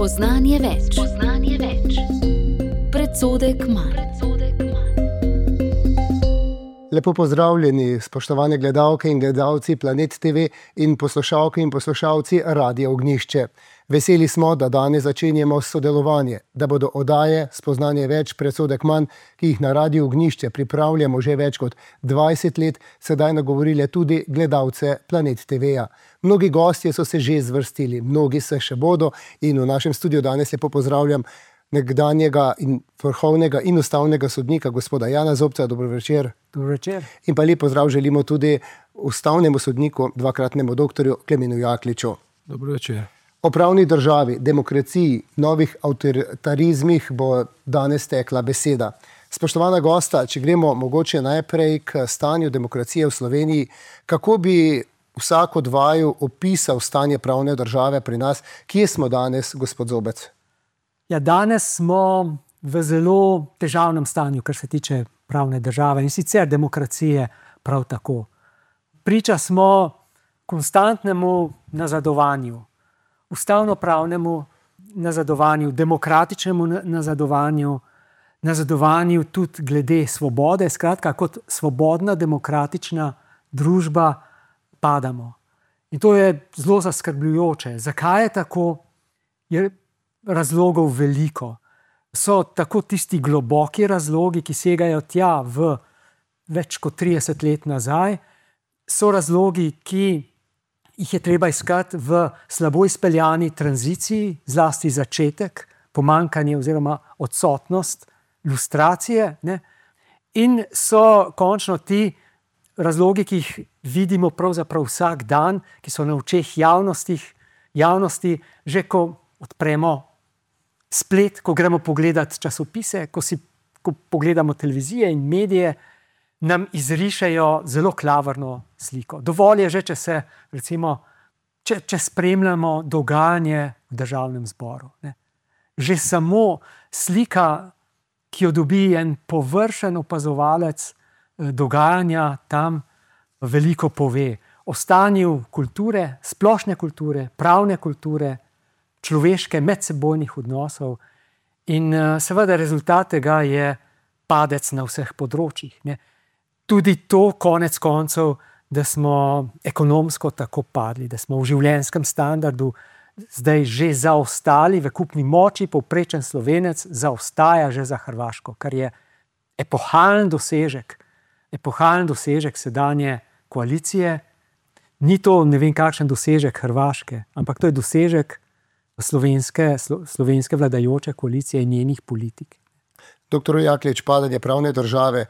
Spoznanje več. Predsodek manj. Lepo pozdravljeni, spoštovane gledalke in gledalci Planet TV in poslušalke in poslušalci Radia Ognjišče. Veseli smo, da danes začenjamo sodelovanje, da bodo oddaje Spoznanje več, predsodek manj, ki jih na Radiu Ognjišče pripravljamo že več kot 20 let, sedaj nagovorile tudi gledalce Planet TV-ja. Mnogi gostje so se že zvrstili, mnogi se še bodo in v našem studiu danes lepo pozdravljam nekdanjega in vrhovnega in ustavnega sodnika gospoda Jana Zobca. Dobro večer. Dobro večer. In pa lep pozdrav želimo tudi ustavnemu sodniku, dvakratnemu doktorju Klemenu Jakliču. Dobro večer. O pravni državi, demokraciji, novih avtoritarizmih bo danes tekla beseda. Spoštovana gosta, če gremo mogoče najprej k stanju demokracije v Sloveniji, kako bi vsak od vaju opisal stanje pravne države pri nas? Kje smo danes, gospod Zobec? Ja, danes smo v zelo težavnem stanju, kar se tiče pravne države in sicer demokracije prav tako. Priča smo konstantnemu nazadovanju, ustavno-pravnemu nazadovanju, demokratičnemu nazadovanju tudi glede svobode. Skratka, kot svobodna, demokratična družba padamo. In to je zelo zaskrbljujoče. Zakaj je tako? Je razlogov veliko. So tako tisti globoki razlogi, ki segajo tja v več kot 30 let nazaj. So razlogi, ki jih je treba iskati v slabo izpeljani tranziciji, zlasti začetek, pomanjkanje oziroma odsotnost lustracije, ne? In so končno ti razlogi, ki jih vidimo pravzaprav vsak dan, ki so na očeh javnosti, že ko odpremo splet, ko gremo pogledat časopise, ko pogledamo televizije in medije, nam izrišejo zelo klavrno sliko. Dovolj je že, če se, recimo, če spremljamo dogajanje v Državnem zboru. Ne. Že samo slika, ki jo dobi en površen opazovalec dogajanja tam, veliko pove o stanju kulture, splošne kulture, pravne kulture, človeške medsebojnih odnosov in seveda rezultat tega je padec na vseh področjih. Ne. Tudi to konec koncev, da smo ekonomsko tako padli, da smo v življenjskem standardu zdaj že zaostali v kupni moči, povprečen Slovenec zaostaja že za Hrvaško, kar je epohalen dosežek sedanje koalicije. Ni to ne vem kakšen dosežek Hrvaške, ampak to je dosežek slovenske vladajoče koalicije in njenih politik. Doktor Jaklič, padanje pravne države,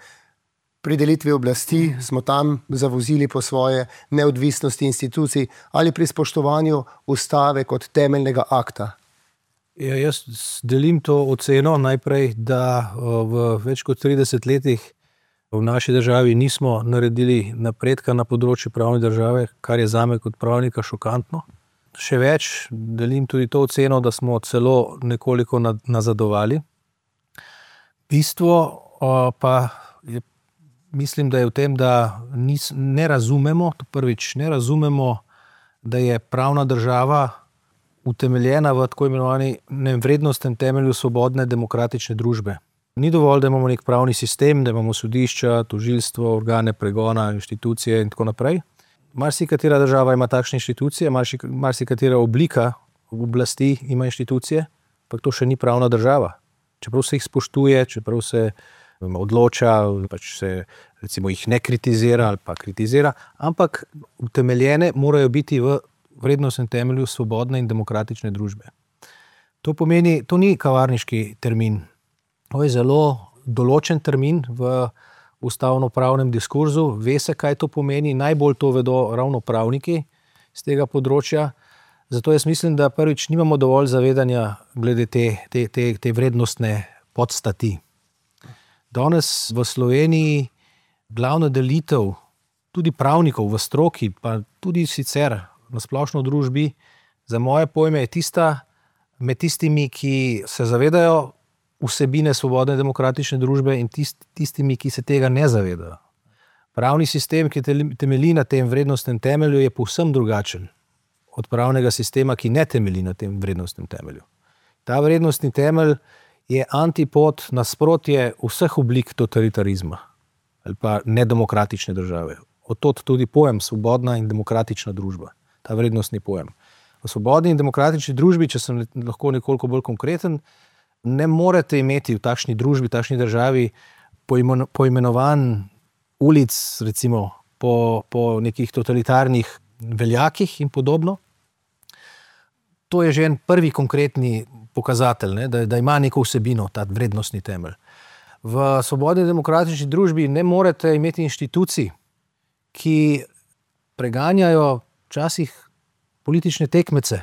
pri delitvi oblasti smo tam zavozili po svoje neodvisnosti institucij ali pri spoštovanju ustave kot temeljnega akta? Ja, jaz delim to oceno najprej, da v več kot 30 letih v naši državi nismo naredili napredka na področju pravne države, kar je zame kot pravnika šokantno. Še več, delim tudi to oceno, da smo celo nekoliko nazadovali. Bistvo pa je, mislim, da je v tem, da ne razumemo, ne razumemo, da je pravna država utemeljena v tako imenovanem vrednostnem temelju svobodne demokratične družbe. Ni dovolj, da imamo nek pravni sistem, da imamo sodišča, tožilstvo, organe pregona, inštitucije in tako naprej. Marsikatera država ima takšne inštitucije, marsikatera oblika oblasti ima inštitucije, pa to še ni pravna država. Čeprav se jih spoštuje, čeprav se odloča, pač se recimo jih ne kritizira ali pa kritizira, ampak utemeljene morajo biti v vrednostnem temelju svobodne in demokratične družbe. To pomeni, to ni kavarniški termin. To je zelo določen termin v ustavno-pravnem diskurzu, ve se, kaj to pomeni, najbolj to vedo ravno pravniki z tega področja. Zato jaz mislim, da prvič nimamo dovolj zavedanja glede te vrednostne podstati. Danes v Sloveniji glavna delitev tudi pravnikov v stroki, pa tudi sicer na splošno družbi, za moje pojme je tista med tistimi, ki se zavedajo vsebine svobodne demokratične družbe in tistimi, ki se tega ne zavedajo. Pravni sistem, ki temelji na tem vrednostnem temelju, je povsem drugačen od pravnega sistema, ki ne temelji na tem vrednostnem temelju. Ta vrednostni temelj je antipod, nasprotje vseh oblik totalitarizma ali pa nedemokratične države. Odtod tudi pojem svobodna in demokratična družba, ta vrednostni pojem. V svobodni in demokratični družbi, če sem lahko nekoliko bolj konkreten, ne morete imeti v takšni družbi, v takšni državi poimenovan ulic, recimo po nekih totalitarnih veljakih in podobno. To je že en prvi konkretni pokazatelj, ne, da ima neko vsebino, ta vrednostni temelj. V svobodni demokratični družbi ne morete imeti inštitucij, ki preganjajo včasih politične tekmece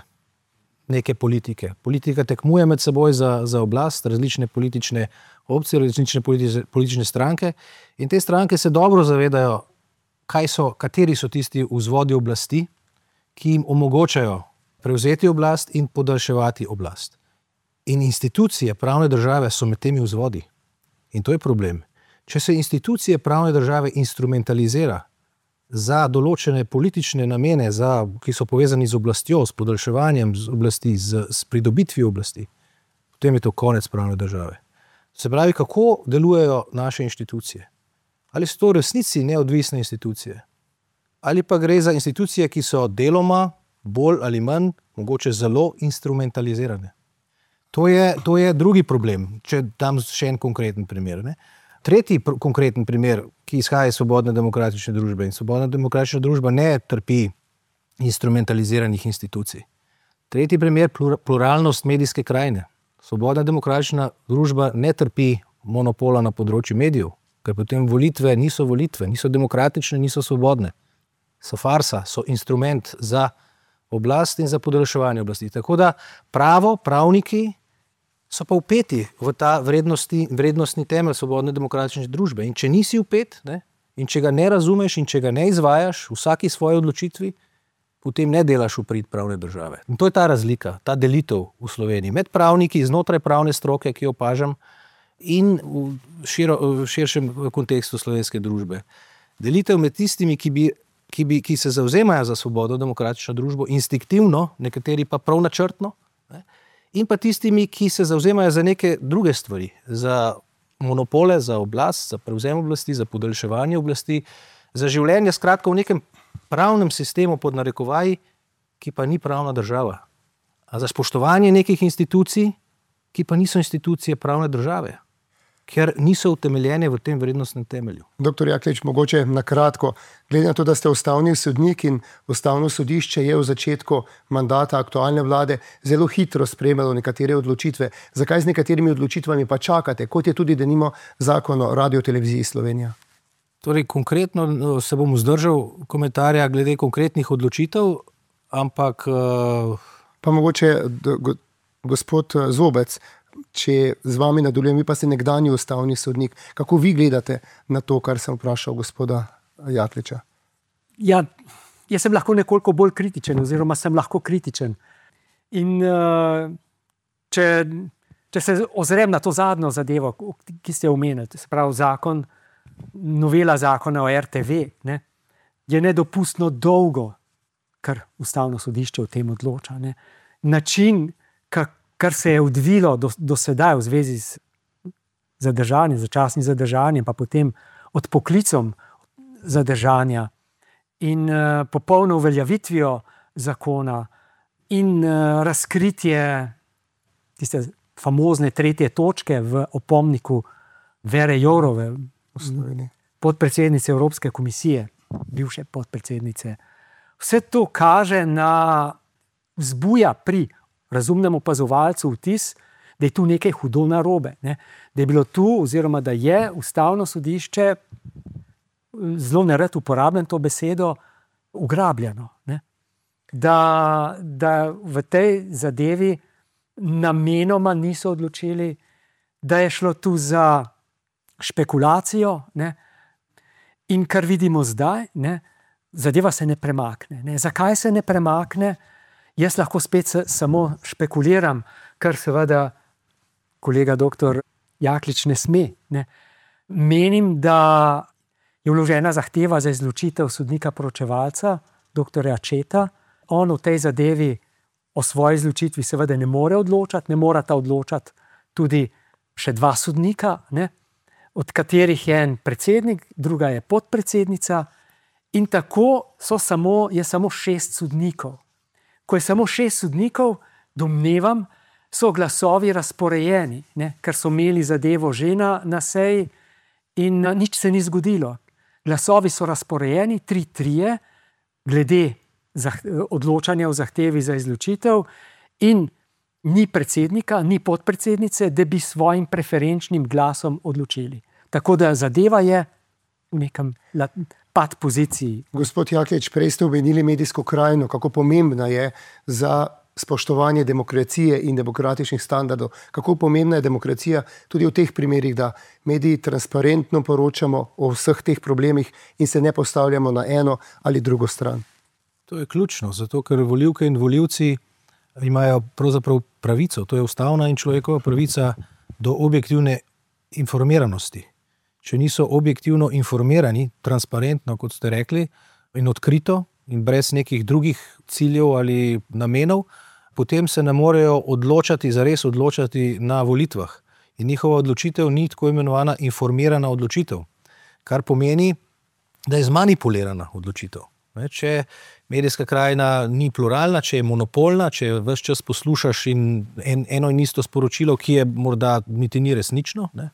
neke politike. Politika tekmuje med seboj za oblast, različne politične opcije, različne politične stranke in te stranke se dobro zavedajo, kateri so tisti vzvodi oblasti, ki jim omogočajo prevzeti oblast in podaljševati oblast. In institucije pravne države so med temi vzvodi. In to je problem. Če se institucije pravne države instrumentalizira za določene politične namene, ki so povezani z oblastjo, s podaljševanjem oblasti, s pridobitvijo oblasti, potem je to konec pravne države. Se pravi, kako delujejo naše inštitucije? Ali so to v resnici neodvisne institucije? Ali pa gre za institucije, ki so deloma, bolj ali manj, mogoče zelo instrumentalizirane? To je drugi problem, če dam še en konkreten primer. Ne? Tretji konkreten primer, ki izhaja iz svobodne demokratične družbe, in svobodna demokratična družba ne trpi instrumentaliziranih institucij. Tretji primer, pluralnost medijske krajine. Svobodna demokratična družba ne trpi monopola na področju medijev, ker potem volitve, niso demokratične, niso svobodne. So farsa, so instrument za oblast in za podaljševanje oblasti. Tako da pravniki so pa vpeti v ta vrednostni temelj svobodne demokratične družbe. In če nisi vpet, ne, in če ga ne razumeš in če ga ne izvajaš v vsaki svoji odločitvi, potem ne delaš v prid pravne države. In to je ta razlika, ta delitev v Sloveniji med pravniki znotraj pravne stroke, ki jo opažam, in v širšem kontekstu slovenske družbe. Delitev med tistimi, ki se zavzemajo za svobodno demokratično družbo, instinktivno, nekateri pa prav načrtno, ne, in pa tistimi, ki se zavzemajo za neke druge stvari, za monopole, za oblast, za prevzem oblasti, za podaljševanje oblasti, za življenje skratka v nekem pravnem sistemu pod narekovaji, ki pa ni pravna država. A za spoštovanje nekih institucij, ki pa niso institucije pravne države, ker niso utemeljene v tem vrednostnem temelju. Doktor Jaklič, mogoče na kratko, glede na to, da ste ustavni sodnik in Ustavno sodišče je v začetku mandata aktualne vlade zelo hitro sprejemalo nekatere odločitve. Zakaj z nekaterimi odločitvami pa čakate, kot je tudi denimo Zakon o Radioteleviziji Slovenija? Torej, konkretno se bom vzdržal komentarja glede konkretnih odločitev, ampak... Pa mogoče gospod Zobec, če z vami nadaljujem, vi pa ste nekdanji ustavni sodnik. Kako vi gledate na to, kar sem vprašal gospoda Jakliča? Ja, jaz sem lahko nekoliko bolj kritičen, oziroma sem lahko kritičen. In če se ozrem na to zadnjo zadevo, ki ste omenili, se pravi novela zakona o RTV, ne, je nedopustno dolgo, kar Ustavno sodišče o tem odloča. Ne. Način, kar se je odvilo do sedaj v zvezi z zadržanjem, začasnim zadržanjem, pa potem odpoklicom zadržanja in popolno uveljavitvijo zakona in razkritje tiste famozne 3. točke v opomniku Vere Jourove, podpredsednice Evropske komisije, bivše podpredsednice. Vse to kaže vzbuja pri razumnem opazovalcu vtis, da je tu nekaj hudo narobe. Ne? Da je bilo tu, oziroma da je Ustavno sodišče, zelo nerad uporabljam to besedo, ugrabljeno. Ne? Da v tej zadevi namenoma niso odločili, da je šlo tu za špekulacijo, ne? In kar vidimo zdaj, ne? Zadeva se ne premakne. Ne? Zakaj se ne premakne? Jaz lahko spet samo špekuliram, kar seveda kolega doktor Jaklič ne sme. Ne. Menim, da je vložena zahteva za izločitev sodnika poročevalca, doktorja Četa. On v tej zadevi o svoji izločitvi seveda ne more odločati, ne morata odločati tudi še 2 sodnika, ne? Od katerih je en predsednik, druga je podpredsednica, in tako je samo 6 sodnikov. Ko je samo 6 sodnikov, domnevam, so glasovi razporejeni, ne? Ker so imeli zadevo že na seji in nič se ni zgodilo. Glasovi so razporejeni, 3-3, glede odločanja o zahtevi za izločitev, in ni predsednika, ni podpredsednice, da bi svojim preferenčnim glasom odločili. Tako da zadeva je v nekem pad poziciji. Gospod Jaklič, prej ste omenili medijsko krajino, kako pomembna je za spoštovanje demokracije in demokratičnih standardov. Kako pomembna je demokracija tudi v teh primerih, da mediji transparentno poročamo o vseh teh problemih in se ne postavljamo na eno ali drugo stran. To je ključno, zato ker volivke in volivci imajo pravzaprav pravico, to je ustavna in človekova pravica do objektivne informiranosti. Če niso objektivno informirani, transparentno, kot ste rekli, in odkrito in brez nekih drugih ciljev ali namenov, potem se ne morejo zares odločati na volitvah. In njihova odločitev ni tako imenovana informirana odločitev, kar pomeni, da je zmanipulirana odločitev. Če medijska krajina ni pluralna, če je monopolna, če ves čas poslušaš eno in isto sporočilo, ki je morda niti ni resnično, ne?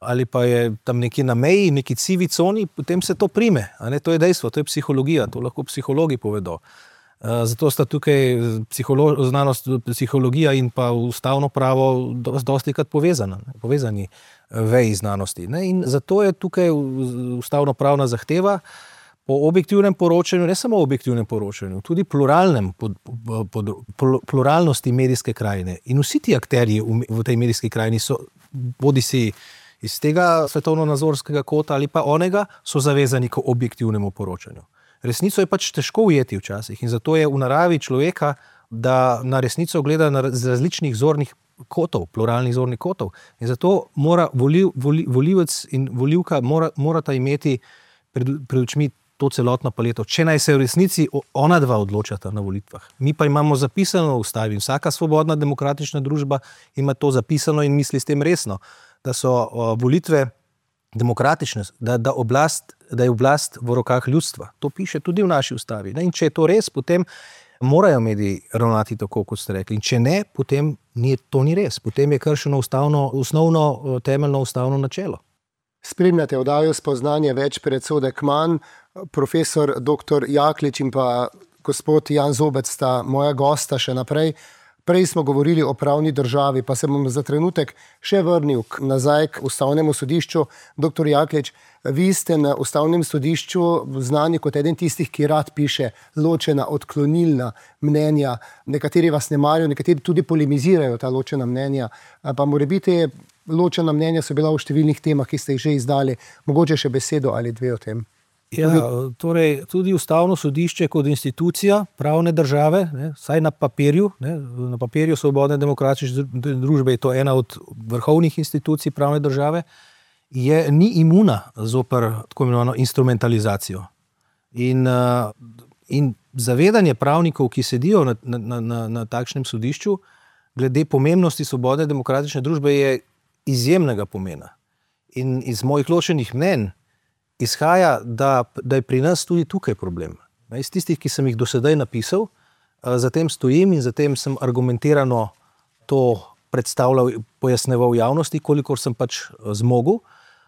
Ali pa je tam nekje na meji, neki sivi coni, potem se to prime. To je dejstvo, to je psihologija, to lahko psihologi povedo. Zato sta tukaj znanost, psihologija in pa ustavno pravo dostikrat povezani veji znanosti. In zato je tukaj ustavno pravna zahteva po objektivnem poročanju, ne samo objektivnem poročanju, tudi pluralnosti medijske krajine. In vsi ti akterji v tej medijski krajini so, bodisi iz tega svetovno-nazorskega kota ali pa onega, so zavezani k objektivnemu poročanju. Resnico je pač težko ujeti včasih in zato je v naravi človeka, da na resnico gleda z različnih zornih kotov, pluralnih zornih kotov. In zato mora volivec in volivka morata imeti pred očmi to celotno paleto, če naj se v resnici ona dva odločata na volitvah. Mi pa imamo zapisano v ustavi, vsaka svobodna demokratična družba ima to zapisano in misli s tem resno, da so volitve demokratične, da je oblast v rokah ljudstva. To piše tudi v naši ustavi. In če je to res, potem morajo mediji ravnati tako, kot ste rekli. In če ne, potem to ni res. Potem je kršeno osnovno temeljno ustavno načelo. Spremljate oddajo Spoznanje več, predsodek manj. Profesor dr. Jaklič in pa gospod Jan Zobec sta moja gosta še naprej. Prej smo govorili o pravni državi, pa se bom za trenutek še vrnil nazaj k Ustavnemu sodišču. Dr. Jaklič, vi ste na Ustavnem sodišču znani kot eden tistih, ki rad piše ločena, odklonilna mnenja. Nekateri vas ne marijo, nekateri tudi polemizirajo ta ločena mnenja. Pa morebiti ločena mnenja so bila v številnih temah, ki ste jih že izdali. Mogoče še besedo ali dve o tem. Ja, torej tudi Ustavno sodišče kot institucija pravne države, vsaj na papirju, na papirju svobodne demokratične družbe je to ena od vrhovnih institucij pravne države, ni imuna zoper tako imenovano instrumentalizacijo. In zavedanje pravnikov, ki sedijo na takšnem sodišču, glede pomembnosti svobodne demokratične družbe je izjemnega pomena. In iz mojih ločenih mnenj izhaja, da je pri nas tudi tukaj problem. Iz tistih, ki sem jih do sedaj napisal, zatem stojim in zatem sem argumentirano to predstavljal, pojasneval javnosti, kolikor sem pač zmogel,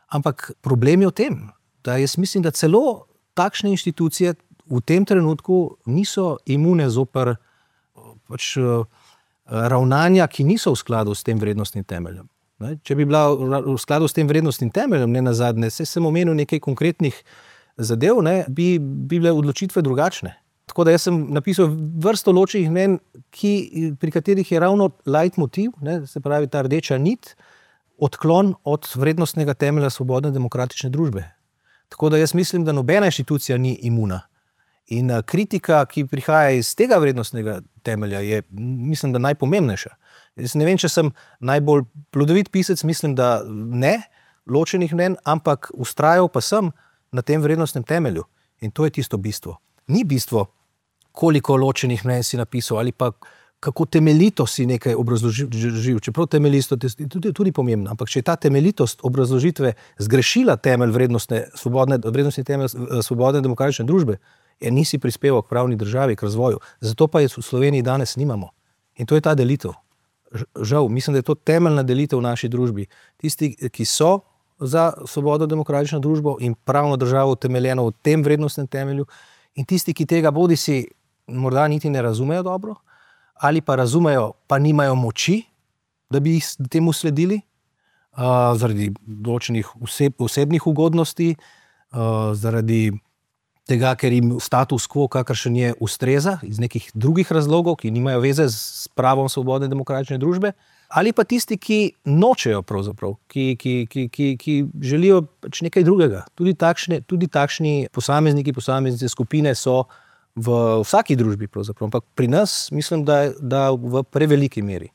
ampak problem je v tem, da jaz mislim, da celo takšne inštitucije v tem trenutku niso imune zoper pač ravnanja, ki niso v skladu s tem vrednostnim temeljem. Če bi bila v skladu s tem vrednostnim temeljem, ne nazadnje, sem omenil nekaj konkretnih zadev, bi bile odločitve drugačne. Tako da jaz sem napisal vrsto ločenih mnenj, pri katerih je ravno leitmotiv, se pravi ta rdeča nit, odklon od vrednostnega temelja svobodne demokratične družbe. Tako da jaz mislim, da nobena inštitucija ni imuna. In kritika, ki prihaja iz tega vrednostnega temelja, je, mislim, da najpomembnejša. Jaz ne vem, če sem najbolj plodovit pisec, mislim, da ne, ločenih mnenj, ampak vztrajal pa sem na tem vrednostnem temelju. In to je tisto bistvo. Ni bistvo, koliko ločenih mnenj si napisal ali pa kako temeljito si nekaj obrazložil, čeprav temeljito je tudi pomembno, ampak če je ta temeljitost obrazložitve zgrešila temelj vrednostni temelj svobodne demokratične družbe, nisi prispeval k pravni državi, k razvoju. Zato pa je v Sloveniji danes nimamo. In to je ta delitev. Žal, mislim, da je to temeljna delitev v naši družbi. Tisti, ki so za svobodno demokratično družbo in pravno državo utemeljeno v tem vrednostnem temelju, in tisti, ki tega bodisi morda niti ne razumejo dobro, ali pa razumejo, pa nimajo moči, da bi jih temu sledili, zaradi določenih osebnih ugodnosti, zaradi tega, ker jim status quo, kakršen je, ustreza iz nekih drugih razlogov, ki nimajo veze s pravom svobodne demokratične družbe, ali pa tisti, ki nočejo pravzaprav, ki želijo pač nekaj drugega. Tudi takšni posameznice skupine so v vsaki družbi pravzaprav, ampak pri nas mislim, da v preveliki meri.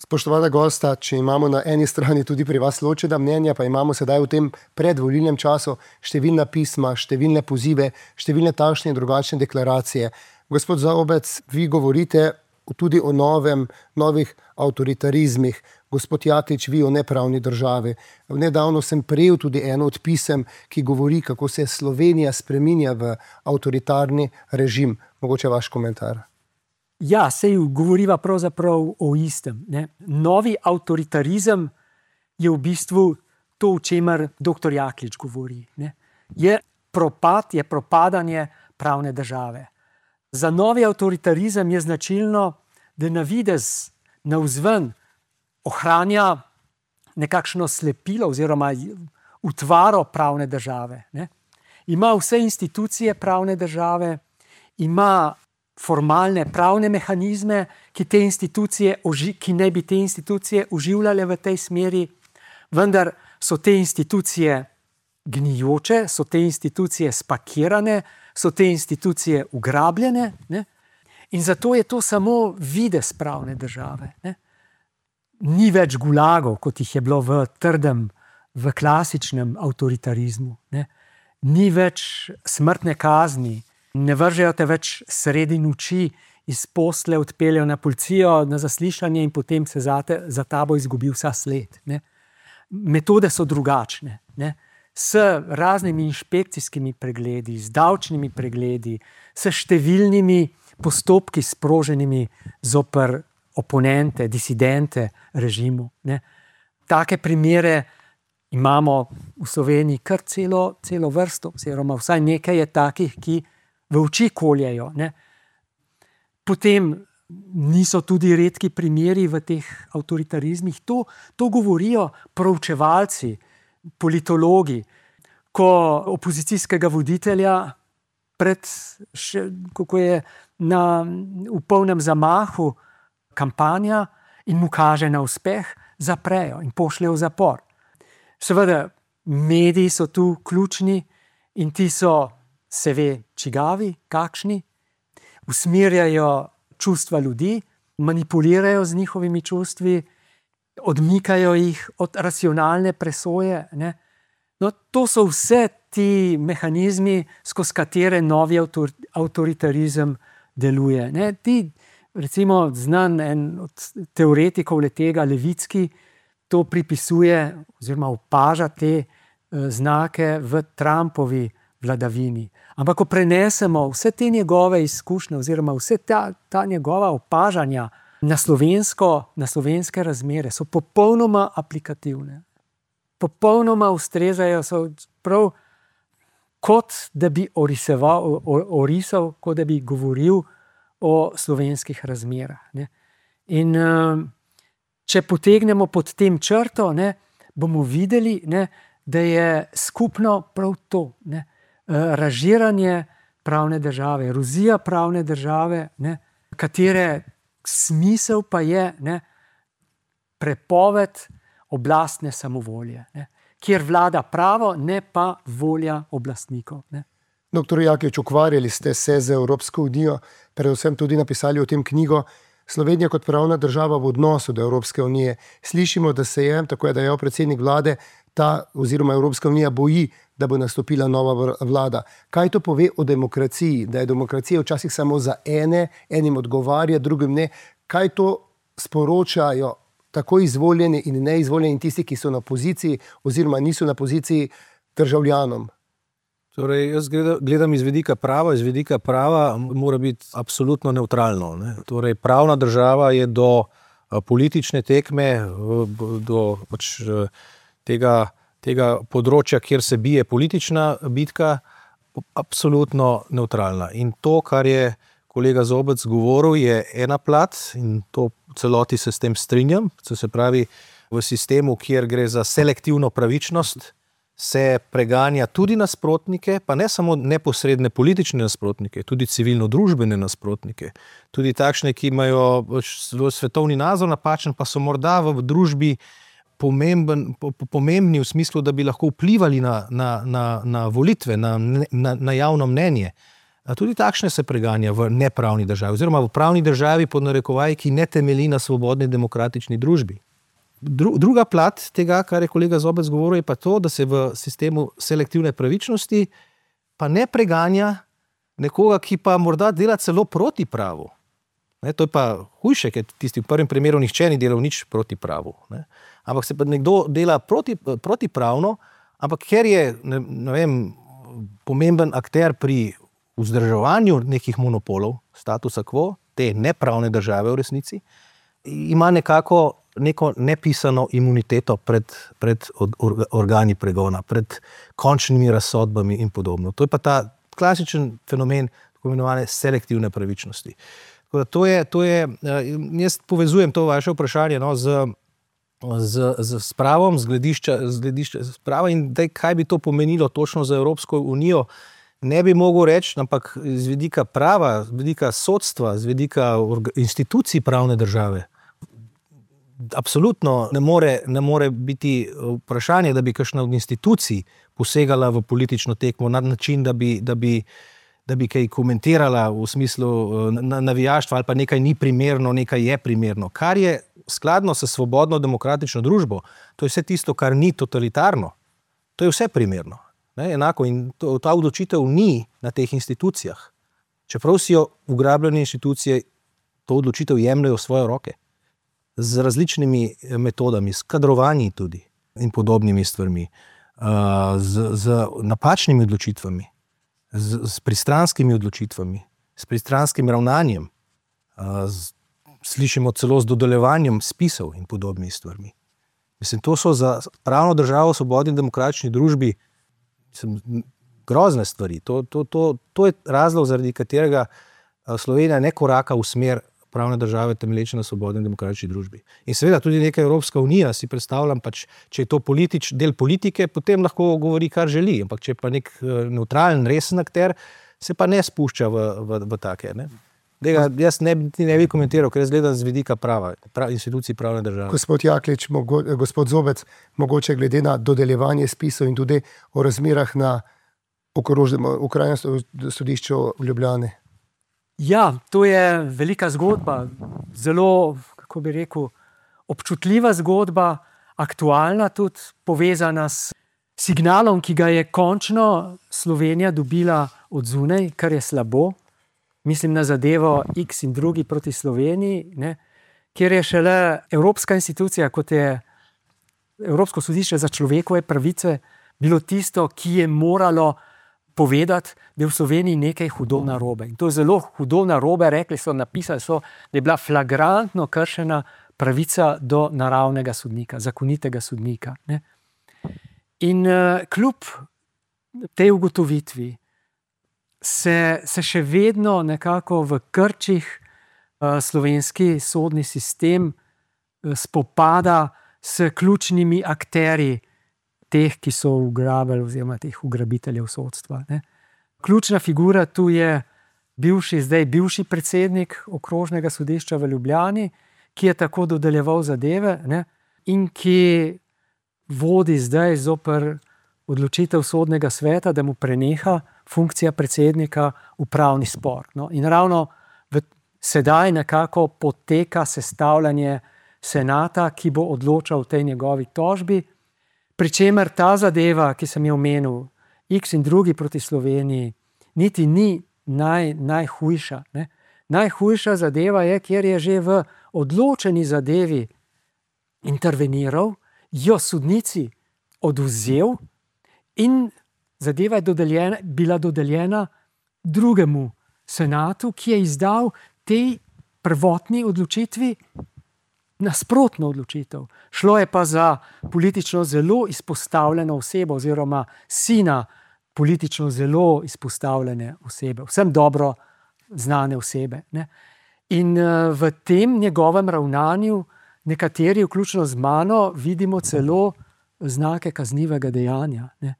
Spoštovana gosta, če imamo na eni strani tudi pri vas ločena mnenja, pa imamo sedaj v tem predvolilnem času številna pisma, številne pozive, številne takšne in drugačne deklaracije. Gospod Zaobec, vi govorite tudi o novih avtoritarizmih. Gospod Jaklič, vi o nepravni državi. Nedavno sem prejel tudi eno od pisem, ki govori, kako se Slovenija spreminja v avtoritarni režim. Mogoče vaš komentar. Ja, sej govoriva pravzaprav o istem. Ne? Novi avtoritarizem je v bistvu to, o čemer dr. Jaklič govori. Ne? Je propadanje pravne države. Za novi avtoritarizem je značilno, da na videz, navzven ohranja nekakšno slepilo oziroma utvaro pravne države. Ne? Ima vse institucije pravne države, ima formalne pravne mehanizme, ki ne bi te institucije oživljale v tej smeri, vendar so te institucije gnijoče, so te institucije spakirane, so te institucije ugrabljene, ne? In zato je to samo videz pravne države. Ne? Ni več gulagov, kot jih je bilo v klasičnem avtoritarizmu. Ne? Ni več smrtne kazni, ne vržejo te več sredi noči, iz posle odpeljejo na policijo, na zaslišanje in potem se za tabo izgubi vsa sled. Ne? Metode so drugačne. Ne? S raznimi inšpekcijskimi pregledi, z davčnimi pregledi, s številnimi postopki sproženimi zoper oponente, disidente režimu. Ne? Take primere imamo v Sloveniji kar celo vrsto, oziroma vsaj nekaj je takih, ki v oči koljejo. Ne? Potem niso tudi redki primeri v teh avtoritarizmih. To govorijo proučevalci, politologi, ko opozicijskega voditelja kako je v polnem zamahu kampanja in mu kaže na uspeh, zaprejo in pošljejo v zapor. Seveda, mediji so tu ključni in ti so, se ve, čigavi, kakšni, usmerjajo čustva ljudi, manipulirajo z njihovimi čustvi, odmikajo jih od racionalne presoje. Ne? No, to so vse ti mehanizmi, skozi katere novi avtoritarizem deluje. Ne? Recimo znan en od teoretikov letega, Levicki, to pripisuje oziroma opaža te znake v Trumpovi vladavini. Ampak ko prenesemo vse te njegove izkušnje oziroma vse ta njegova opažanja na slovenske razmere, so popolnoma aplikativne. Popolnoma ustrezajo, so prav kot da bi orisal, kot da bi govoril o slovenskih razmerah. Ne. In če potegnemo pod tem črto, ne, bomo videli, ne, da je skupno prav to, ne, razžiranje pravne države, erozija pravne države, ne, katere smisel pa je, ne, prepoved oblastne samovolje, ne, kjer vlada pravo, ne pa volja oblastnikov. Ne. Dr. Jaklič, ukvarjali ste se z Evropsko unijo, predvsem tudi napisali o tem knjigo Slovenija kot pravna država v odnosu do Evropske unije. Slišimo, da se je, tako je dejal predsednik vlade, ta oziroma Evropska unija boji, da bo nastopila nova vlada. Kaj to pove o demokraciji? Da je demokracija včasih samo za enim odgovarja, drugim ne. kaj to sporočajo tako izvoljeni in neizvoljeni tisti, ki so na poziciji oziroma niso na poziciji državljanom? Torej, jaz gledam iz vidika prava. Iz vidika prava mora biti absolutno nevtralno. Ne? Torej, pravna država je do politične tekme, do pač tega področja, kjer se bije politična bitka, absolutno nevtralna. In to, kar je kolega Zobec govoril, je ena plat in to v celoti se s tem strinjam. Se pravi, v sistemu, kjer gre za selektivno pravičnost, se preganja tudi nasprotnike, pa ne samo neposredne politične nasprotnike, tudi civilno-družbene nasprotnike, tudi takšne, ki imajo svetovni nazor napačen, pa so morda v družbi pomembni v smislu, da bi lahko vplivali na volitve, na javno mnenje. Tudi takšne se preganja v nepravni državi, oziroma v pravni državi pod narekovaji, ki ne temelji na svobodni demokratični družbi. Druga plat tega, kar je kolega Zobec govoril, je pa to, da se v sistemu selektivne pravičnosti pa ne preganja nekoga, ki pa morda dela celo proti pravu. To je pa hujše, ker tisti v prvem primeru nihče ni delal nič proti pravu. Ampak se pa nekdo dela protipravno, ampak ker je, ne vem, pomemben akter pri vzdrževanju nekih monopolov, statusa quo, te nepravne države v resnici, ima neko nepisano imuniteto pred organi pregona, pred končnimi razsodbami in podobno. To je pa ta klasičen fenomen tako imenovane selektivne pravičnosti. Jaz povezujem to vaše vprašanje z spravom, z gledišča sprava in kaj bi to pomenilo točno za Evropsko unijo, ne bi mogel reči, ampak z vidika prava, z vidika sodstva, z vidika institucij pravne države, absolutno ne more biti vprašanje, da bi kakšna od institucij posegala v politično tekmo na način, da bi kaj komentirala v smislu navijaštva ali pa nekaj ni primerno, nekaj je primerno. Kar je skladno s svobodno demokratično družbo, to je vse tisto, kar ni totalitarno. To je vse primerno. Enako in ta odločitev ni na teh institucijah. Čeprav si jo ugrabljene institucije to odločitev jemljajo v svoje roke. Z različnimi metodami, s kadrovanji tudi in podobnimi stvarmi, z napačnimi odločitvami, s pristranskimi odločitvami, s pristranskim ravnanjem, slišimo celo z dodeljevanjem spisov in podobnimi stvarmi. Mislim, to so za pravno državo v svobodni demokratični družbi grozne stvari. To je razlog, zaradi katerega Slovenija ne koraka v smer pravne države temelječe na svobodni demokratični družbi. In seveda tudi neka Evropska unija, si predstavljam, pač, če je to del politike, potem lahko govori, kar želi, ampak če je pa nek neutralen, resen akter, se pa ne spušča v take. Ne? Jaz ne bi komentiral, ker jaz gledam z vidika prava, institucij pravne države. Gospod Jaklič, gospod Zobec, mogoče glede na dodeljevanje spisov in tudi o razmerah na Okrajnem sodišču v Ljubljani. Ja, to je velika zgodba, zelo, kako bi rekel, občutljiva zgodba, aktualna tudi, povezana s signalom, ki ga je končno Slovenija dobila od zunaj, kar je slabo. Mislim na zadevo X in drugi proti Sloveniji, kjer je šele evropska institucija, kot je Evropsko sodišče za človekove pravice, bilo tisto, ki je moralo povedati, da je v Sloveniji nekaj hudo narobe. In to je zelo hudo narobe, napisali so, da je bila flagrantno kršena pravica do naravnega sodnika, zakonitega sodnika. In kljub tej ugotovitvi se še vedno nekako v krčih slovenski sodni sistem spopada s ključnimi akterji teh, ki so ugrabili oziroma teh ugrabiteljev sodstva. Ključna figura tu je bivši predsednik Okrožnega sodišča v Ljubljani, ki je tako dodeljeval zadeve in ki vodi zdaj zoper odločitev sodnega sveta, da mu preneha funkcija predsednika upravni spor. In ravno sedaj nekako poteka sestavljanje senata, ki bo odločal v tej njegovi tožbi, pri čemer ta zadeva, ki sem jo omenil, X in drugi proti Sloveniji, niti ni najhujša. Najhujša zadeva je, kjer je že v odločeni zadevi interveniral, jo sodnici odvzel in zadeva je bila dodeljena drugemu senatu, ki je izdal tej prvotni odločitvi nasprotno odločitev. Šlo je pa za politično zelo izpostavljeno osebo oziroma sina politično zelo izpostavljene osebe, vsem dobro znane osebe. Ne? In v tem njegovem ravnanju nekateri, vključno z mano, vidimo celo znake kaznivega dejanja. Ne?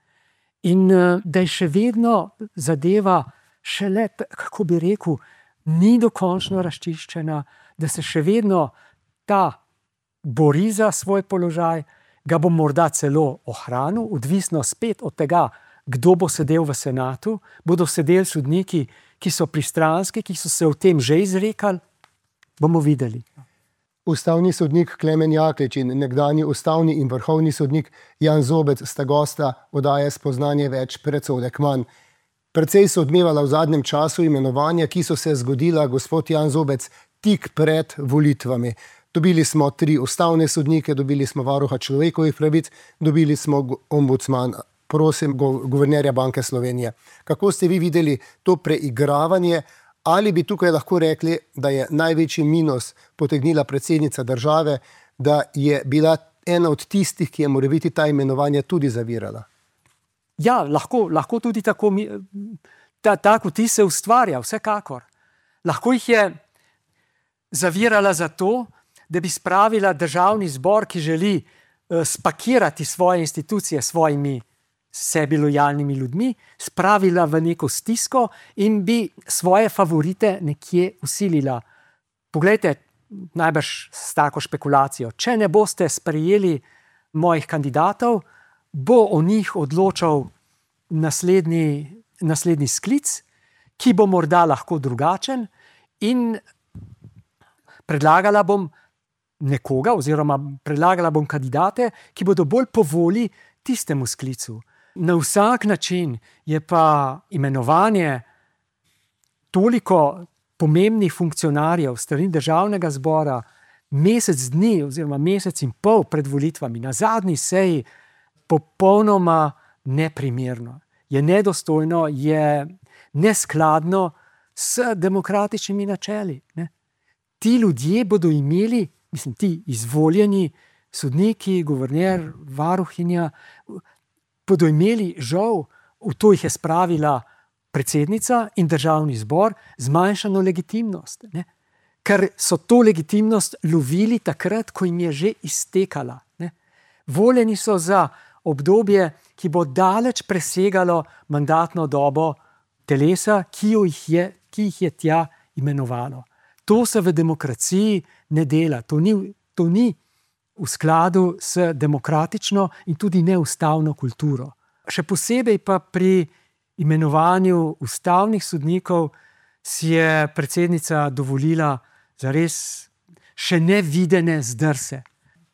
In da je še vedno zadeva šele, kako bi rekel, ni dokončno razčiščena, da se še vedno ta bori za svoj položaj, ga bo morda celo ohranil, odvisno spet od tega, kdo bo sedel v senatu, bodo sedeli sodniki, ki so pristranski, ki so se o tem že izrekali, bomo videli. Ustavni sodnik Klemen Jaklič in nekdanji ustavni in vrhovni sodnik Jan Zobec sta gosta oddaje Spoznanje več predsodek manj. Precej so odmevala v zadnjem času imenovanja, ki so se zgodila, gospod Jan Zobec, tik pred volitvami. Dobili smo 3 ustavne sodnike, dobili smo varuha človekovih pravic, dobili smo ombudsman, prosim, guvernerja Banke Slovenije. Kako ste vi videli to preigravanje? Ali bi tukaj lahko rekli, da je največji minus potegnila predsednica države, da je bila ena od tistih, ki je morebiti ta imenovanja tudi zavirala? Ja, lahko tudi tako, tako ti se ustvarja, vsekakor. Lahko jih je zavirala zato, da bi spravila državni zbor, ki želi spakirati svoje institucije s svojimi sebi lojalnimi ljudmi, spravila v neko stisko in bi svoje favorite nekje usilila. Poglejte, najbrž s tako špekulacijo, če ne boste sprejeli mojih kandidatov, bo o njih odločal naslednji sklic, ki bo morda lahko drugačen, in predlagala bom nekoga oziroma predlagala bom kandidate, ki bodo bolj po volji tistemu sklicu. Na vsak način je pa imenovanje toliko pomembnih funkcionarjev strani državnega zbora mesec dni oziroma mesec in pol pred volitvami na zadnji seji popolnoma neprimerno. Je nedostojno, je neskladno s demokratičnimi načeli. Ne? Ti ljudje bodo imeli, ti izvoljeni sodniki, guverner, varuhinja, bodo imeli žal, v to jih je spravila predsednica in državni zbor, zmanjšano legitimnost. Ne? Ker so to legitimnost lovili takrat, ko jim je že iztekala. Ne? Voljeni so za obdobje, ki bo daleč presegalo mandatno dobo telesa, ki jih je tja imenovalo. To se v demokraciji ne dela. To ni v skladu s demokratično in tudi neustavno kulturo. Še posebej pa pri imenovanju ustavnih sodnikov si je predsednica dovolila zares še nevidene zdrse.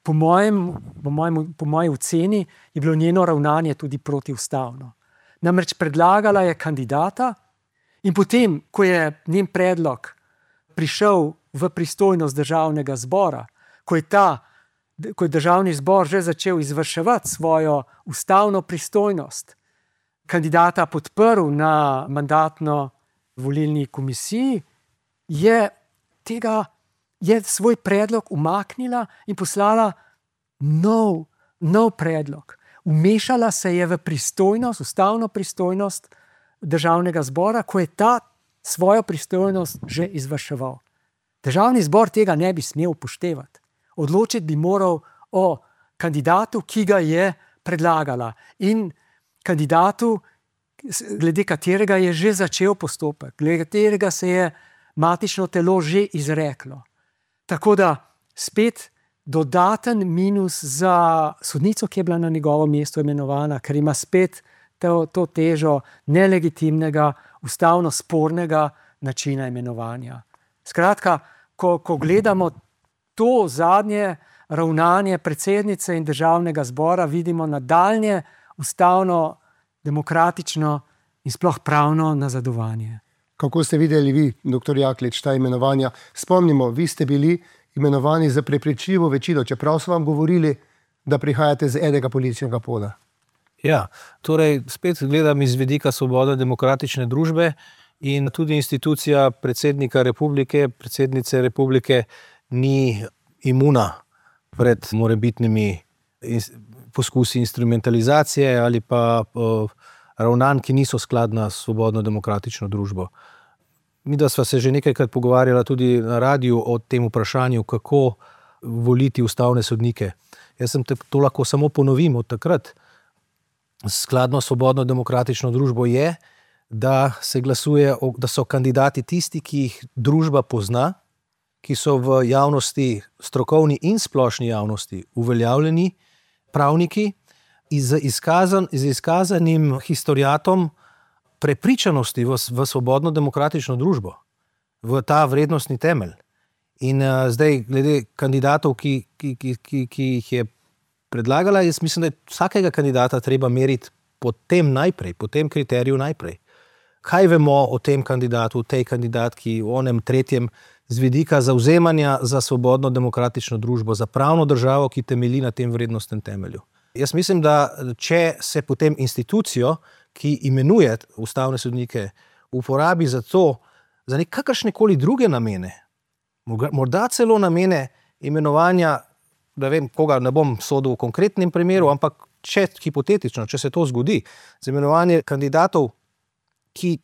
Po moji oceni je bilo njeno ravnanje tudi protiustavno. Namreč predlagala je kandidata in potem, ko je njen predlog prišel v pristojnost državnega zbora, ko je državni zbor že začel izvrševati svojo ustavno pristojnost, kandidata podprl na mandatno-volilni komisiji, je svoj predlog umaknila in poslala nov predlog. Vmešala se je v pristojnost, ustavno pristojnost državnega zbora, ko je ta svojo pristojnost že izvrševal. Državni zbor tega ne bi smel upoštevati. Odločiti bi moral o kandidatu, ki ga je predlagala, in kandidatu, glede katerega je že začel postopek, glede katerega se je matično telo že izreklo. Tako da spet dodaten minus za sodnico, ki je bila na njegovo mesto imenovana, ker ima spet to težo nelegitimnega, ustavno spornega načina imenovanja. Skratka, ko gledamo to zadnje ravnanje predsednice in državnega zbora, vidimo nadaljnje ustavno, demokratično in sploh pravno nazadovanje. Kako ste videli vi, dr. Jaklič, ta imenovanja? Spomnimo, vi ste bili imenovani za prepričljivo večino, čeprav so vam govorili, da prihajate z enega političnega pola. Ja, torej spet gledam iz vidika svobodne demokratične družbe in tudi institucija predsednika republike, predsednice republike ni imuna pred morebitnimi poskusi instrumentalizacije ali pa ravnanj, ki niso skladna s svobodno demokratično družbo. Mi da sva se že nekajkrat pogovarjala tudi na radiju o tem vprašanju, kako voliti ustavne sodnike. Jaz sem to lahko samo ponovim od takrat. Skladno s svobodno demokratično družbo je, da se glasuje, da so kandidati tisti, ki jih družba pozna, ki so v javnosti, strokovni in splošni javnosti uveljavljeni pravniki z izkazanim historiatom prepričanosti v svobodno demokratično družbo, v ta vrednostni temelj. In zdaj, glede kandidatov, ki jih je predlagala, jaz mislim, da je vsakega kandidata treba meriti po tem kriteriju najprej. Kaj vemo o tem kandidatu, o tej kandidatki, o onem tretjem, z vidika zavzemanja za svobodno demokratično družbo, za pravno državo, ki temelji na tem vrednostnem temelju. Jaz mislim, da če se potem institucijo, ki imenuje ustavne sodnike, uporabi za nekakršnekoli druge namene, morda celo namene imenovanja, da vem, koga ne bom sodil v konkretnem primeru, ampak hipotetično, če se to zgodi, za imenovanje kandidatov, ki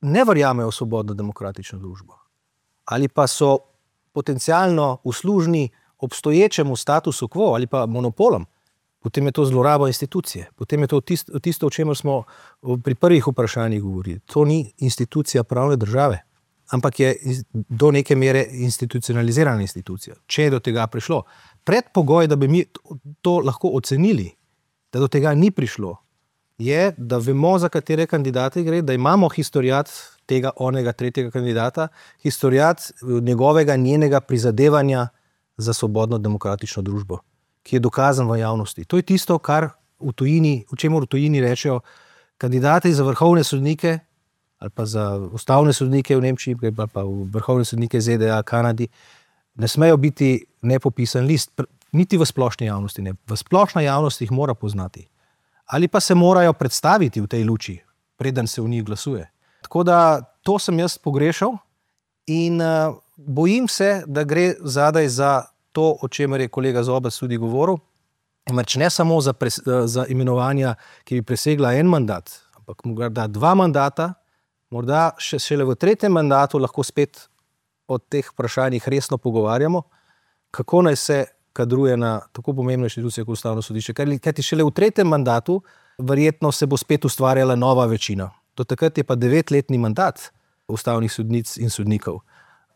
ne verjamejo v svobodno demokratično družbo, ali pa so potencialno uslužni obstoječemu statusu quo ali pa monopolom, potem je to zloraba institucije. Potem je to tisto, o čemer smo pri prvih vprašanjih govorili. To ni institucija pravne države, ampak je do neke mere institucionalizirana institucija. Če je do tega prišlo, predpogoj, da bi mi to lahko ocenili, da do tega ni prišlo, je, da vemo, za katere kandidate gre, da imamo historiat tega onega tretjega kandidata, historiat njenega prizadevanja za svobodno demokratično družbo, ki je dokazan v javnosti. To je tisto, kar v čemer v tujini rečejo, kandidati za vrhovne sodnike ali pa za ustavne sodnike v Nemčiji, ali pa v vrhovne sodnike ZDA, Kanadi, ne smejo biti nepopisan list, niti v splošni javnosti ne. V splošna javnost jih mora poznati. Ali pa se morajo predstaviti v tej luči, preden se v njih glasuje. Tako da to sem jaz pogrešal in bojim se, da gre zadaj za to, o čemer je kolega Zobec tudi govoril, ne samo za imenovanja, ki bi presegla en mandat, ampak morda 2 mandata, morda šele v 3. mandatu lahko spet o teh vprašanjih resno pogovarjamo, kako naj se kadruje na tako pomembne inštitucije kot Ustavno sodišče. Kajti šele v 3. mandatu verjetno se bo spet ustvarjala nova večina. Do takrat je pa 9-letni mandat ustavnih sodnic in sodnikov.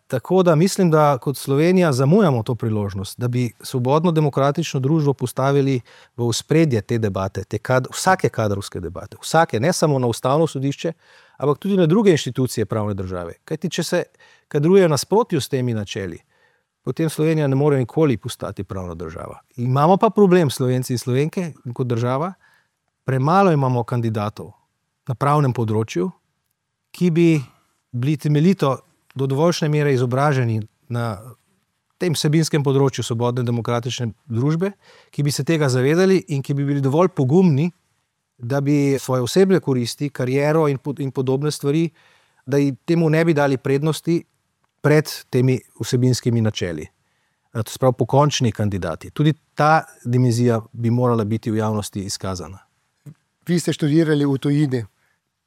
Tako da mislim, da kot Slovenija zamujamo to priložnost, da bi svobodno demokratično družbo postavili v ospredje te debate, vsake kadrovske debate, ne samo na Ustavno sodišče, ampak tudi na druge inštitucije pravne države. Kajti če se kadruje nasprotju s temi načeli, potem Slovenija ne more nikoli postati pravna država. Imamo pa problem, Slovenci in Slovenke, kot država, premalo imamo kandidatov na pravnem področju, ki bi bili temeljito do dovoljšne mere izobraženi na tem vsebinskem področju svobodne demokratične družbe, ki bi se tega zavedali in ki bi bili dovolj pogumni, da bi svoje osebne koristi, kariero in podobne stvari, da temu ne bi dali prednosti pred temi vsebinskimi načeli. To se pravi pokončni kandidati. Tudi ta dimenzija bi morala biti v javnosti izkazana. Vi ste študirali v tujini.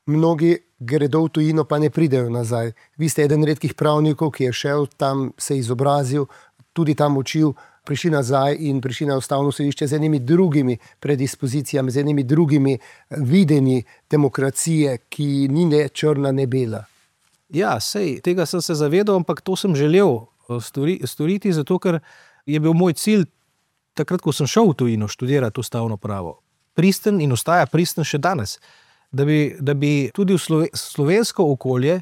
Mnogi gredo v tujino, pa ne pridejo nazaj. Vi ste eden redkih pravnikov, ki je šel tam, se izobrazil, tudi tam učil, prišli nazaj in prišli na Ustavno sodišče z enimi drugimi predispozicijami, z enimi drugimi videnji demokracije, ki ni ne črna, ne bela. Ja, tega sem se zavedal, ampak to sem želel storiti, zato ker je bil moj cilj, takrat, ko sem šel v tujino študirati ustavno pravo, pristen in ostaja pristen še danes, da bi tudi v slovensko okolje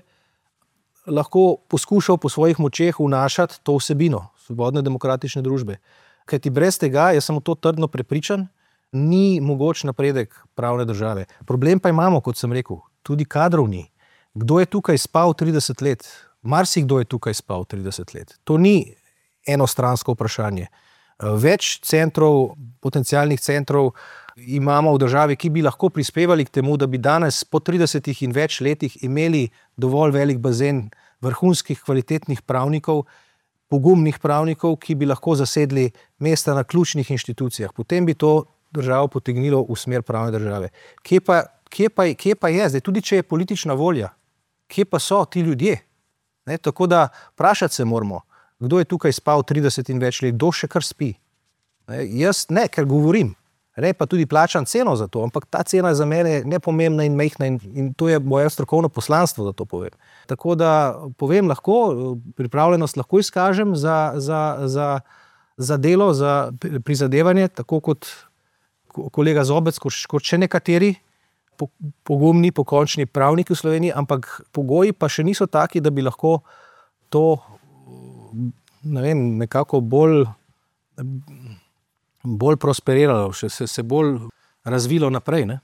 lahko poskušal po svojih močeh vnašati to vsebino svobodne demokratične družbe. Kajti brez tega, jaz sem v to trdno prepričan, ni mogoč napredek pravne države. Problem pa imamo, kot sem rekel, tudi kadrovni. Kdo je tukaj spal 30 let? Marsikdo je tukaj spal 30 let. To ni enostransko vprašanje. Več centrov, potencialnih centrov imamo v državi, ki bi lahko prispevali k temu, da bi danes po 30 in več letih imeli dovolj velik bazen vrhunskih kvalitetnih pravnikov, pogumnih pravnikov, ki bi lahko zasedli mesta na ključnih inštitucijah. Potem bi to državo potegnilo v smer pravne države. Kje pa je zdaj, tudi če je politična volja, kje pa so ti ljudje? Ne, tako da vprašati se moramo, kdo je tukaj spal 30 in več let, kdo še kar spi. Jaz ne, ker govorim, ne, pa tudi plačam ceno za to, ampak ta cena je za mene nepomembna in majhna in to je moje strokovno poslanstvo, da to povem. Tako da povem lahko, pripravljenost lahko izkažem za delo, za prizadevanje, tako kot kolega Zobec, kot še nekateri pogumni, pokončni pravniki v Sloveniji, ampak pogoji pa še niso taki, da bi lahko to nekako bolj prosperiralo, se bolj razvilo naprej. Ne?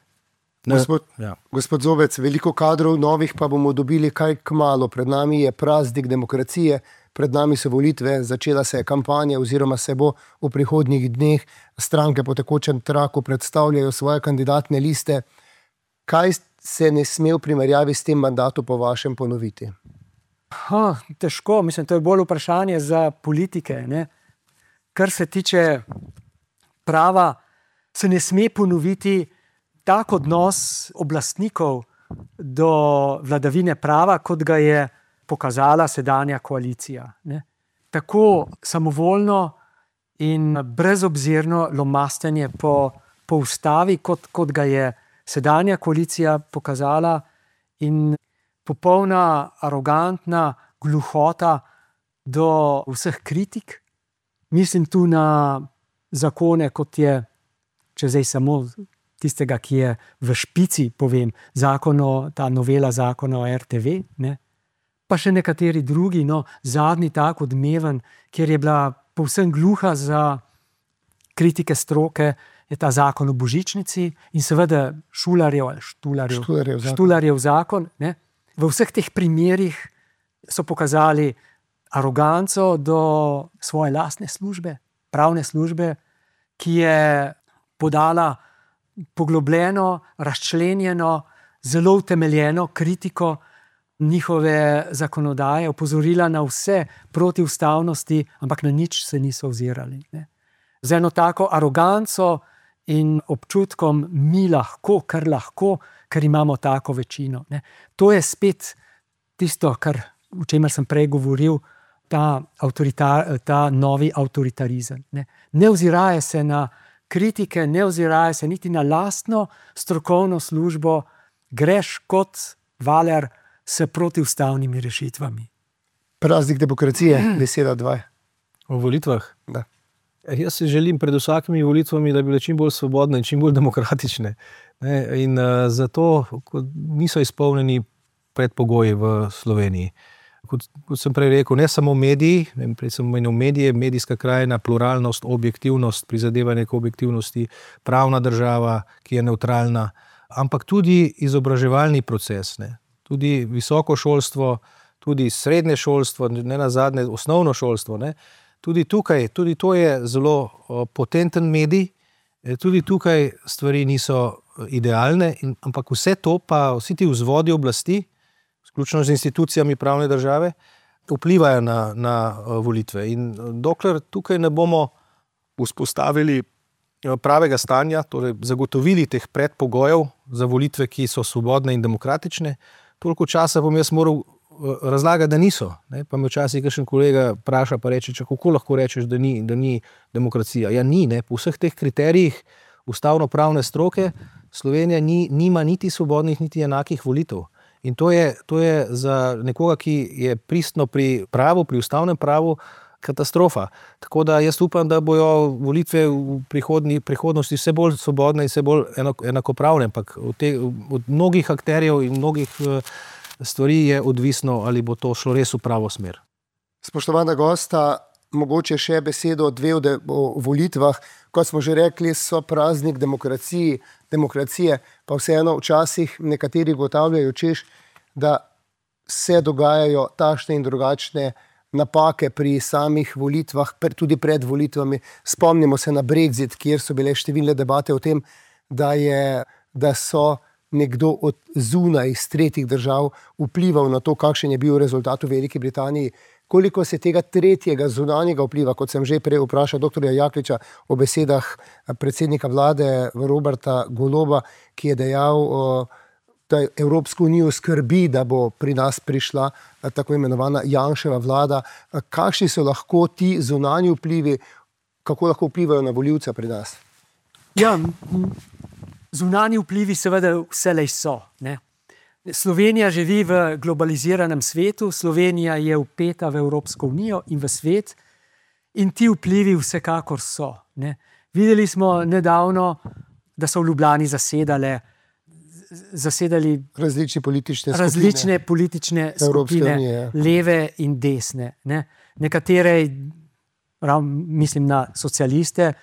Gospod Zobec, veliko kadrov novih pa bomo dobili kaj kmalu. Pred nami je praznik demokracije, pred nami so volitve, začela se je kampanja oziroma se bo v prihodnjih dneh. Stranke po tekočem traku predstavljajo svoje kandidatne liste. Kaj se ne sme v primerjavi s tem mandatom po vašem ponoviti? Težko, mislim, to je bolj vprašanje za politike. Ne? Kar se tiče prava, se ne sme ponoviti tak odnos oblastnikov do vladavine prava, kot ga je pokazala sedanja koalicija. Ne? Tako samovoljno in brezobzirno lomastenje po ustavi, kot ga je sedanja koalicija pokazala, in popolna arogantna gluhota do vseh kritik. Mislim tu na zakone, kot je, če zdaj samo tistega, ki je v špici, povem, ta novela zakona o RTV, ne? Pa še nekateri drugi, zadnji tak odmeven, kjer je bila povsem gluha za kritike stroke, je ta zakon o božičnici in seveda Štularjev zakon. Ne? V vseh teh primerih so pokazali aroganco do svoje lastne službe, pravne službe, ki je podala poglobljeno, razčlenjeno, zelo utemeljeno kritiko njihove zakonodaje, opozorila na vse protiustavnosti, ampak na nič se niso ozirali. Ne? Z eno tako aroganco in občutkom mi lahko, ker imamo tako večino. Ne? To je spet tisto, o čemer sem prej govoril, ta novi avtoritarizem. Ne oziraje se na kritike, ne oziraje se niti na lastno strokovno službo, greš kot valer s protiustavnimi rešitvami. Praznik demokracije, beseda 2. O volitvah? Da. Jaz si želim pred vsakimi volitvami, da bi bile čim bolj svobodne in čim bolj demokratične. In zato niso izpolnjeni predpogoji v Sloveniji. Kot sem prej rekel, ne samo mediji, prej sem omenil medije, medijska krajina, pluralnost, objektivnost, prizadevanje k objektivnosti, pravna država, ki je nevtralna, ampak tudi izobraževalni proces, ne. Tudi visoko šolstvo, tudi srednje šolstvo, ne nazadnje osnovno šolstvo, ne. Tudi tukaj, tudi to je zelo potenten medij, tudi tukaj stvari niso idealne, ampak vse to pa, vsi ti vzvodi oblasti, vključno z institucijami pravne države, vplivajo na volitve. In dokler tukaj ne bomo vzpostavili pravega stanja, torej zagotovili teh predpogojev za volitve, ki so svobodne in demokratične, toliko časa bom jaz moral razlagati, da niso. Ne? Pa me včasih kakšen kolega vpraša, pa reče, kako lahko rečeš, da ni demokracija. Ja, ni, ne? Po vseh teh kriterijih ustavno-pravne stroke Slovenija nima niti svobodnih, niti enakih volitev. In to je za nekoga, ki je pristno pri pravu, pri ustavnem pravu, katastrofa. Tako da jaz upam, da bojo volitve v prihodnosti vse bolj svobodne in vse bolj enakopravne, ampak od mnogih akterjev in mnogih stvari je odvisno, ali bo to šlo res v pravo smer. Spoštovana gosta, mogoče še besedo 2 o volitvah. Kot smo že rekli, so praznik demokracije, pa vseeno včasih nekateri ugotavljajo, češ, da se dogajajo takšne in drugačne napake pri samih volitvah, tudi pred volitvami. Spomnimo se na Brexit, kjer so bile številne debate o tem, da so nekdo od zunaj iz tretjih držav vplival na to, kakšen je bil rezultat v Veliki Britaniji. Koliko se tega tretjega zunanjega vpliva, kot sem že prej vprašal doktorja Jakliča o besedah predsednika vlade Roberta Goloba, ki je dejal, da Evropsko unijo skrbi, da bo pri nas prišla tako imenovana Janševa vlada. Kakšni so lahko ti zunanji vplivi, kako lahko vplivajo na volivca pri nas? Ja, zunanji vplivi seveda vselej so, ne. Slovenija živi v globaliziranem svetu, Slovenija je vpeta v Evropsko unijo in v svet in ti vplivi vsekakor so, ne. Videli smo nedavno, da so v Ljubljani zasedali različne politične skupine, leve in desne, ne. Nekatere, mislim na socialiste,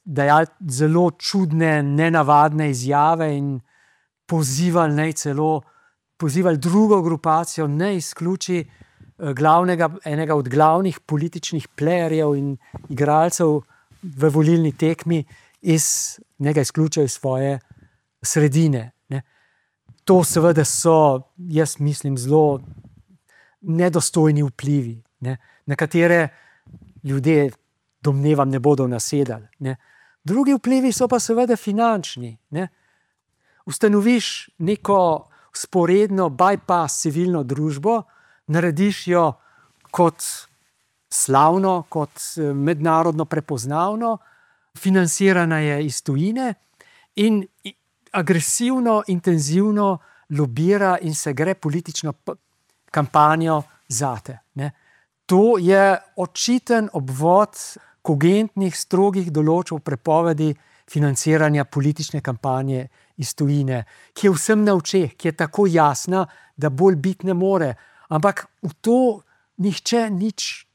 dajali zelo čudne, nenavadne izjave in pozivali drugo grupacijo, ne izključi enega od glavnih političnih playerjev in igralcev v volilni tekmi njega izključijo iz svoje sredine, ne. To seveda so, jaz mislim, zelo nedostojni vplivi, ne. Na katere ljudje, domnevam, ne bodo nasedali, ne. Drugi vplivi so pa seveda finančni, ne. Ustanoviš neko sporedno bypass civilno družbo, narediš jo kot slavno, kot mednarodno prepoznavno, financirana je iz tujine in agresivno, intenzivno lobira in se gre politično kampanjo zate, ne. To je očiten obvod kogentnih, strogih določb prepovedi financiranja politične kampanje iz tujine, ki je vsem na očeh, ki je tako jasna, da bolj biti ne more. Ampak v to nihče nič,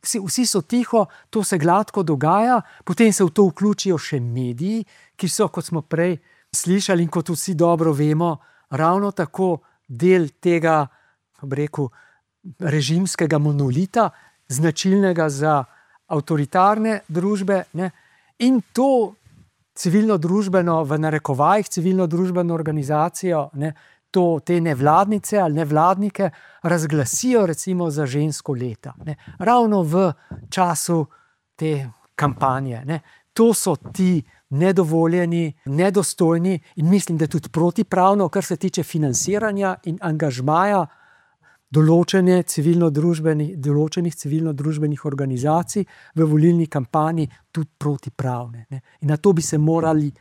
vsi so tiho, to se gladko dogaja, potem se v to vključijo še mediji, ki so, kot smo prej slišali in kot vsi dobro vemo, ravno tako del tega, režimskega monolita, značilnega za avtoritarne družbe, ne? In to civilno-družbeno, v narekovajih civilno-družbeno organizacijo, ne, te nevladnice ali nevladnike razglasijo recimo za žensko leta, ne, ravno v času te kampanje, ne. To so ti nedovoljeni, nedostojni in mislim, da tudi protipravno, kar se tiče financiranja in angažmaja določenih civilno-družbenih organizacij v volilni kampanji tudi protipravne, ne. In na to bi se morali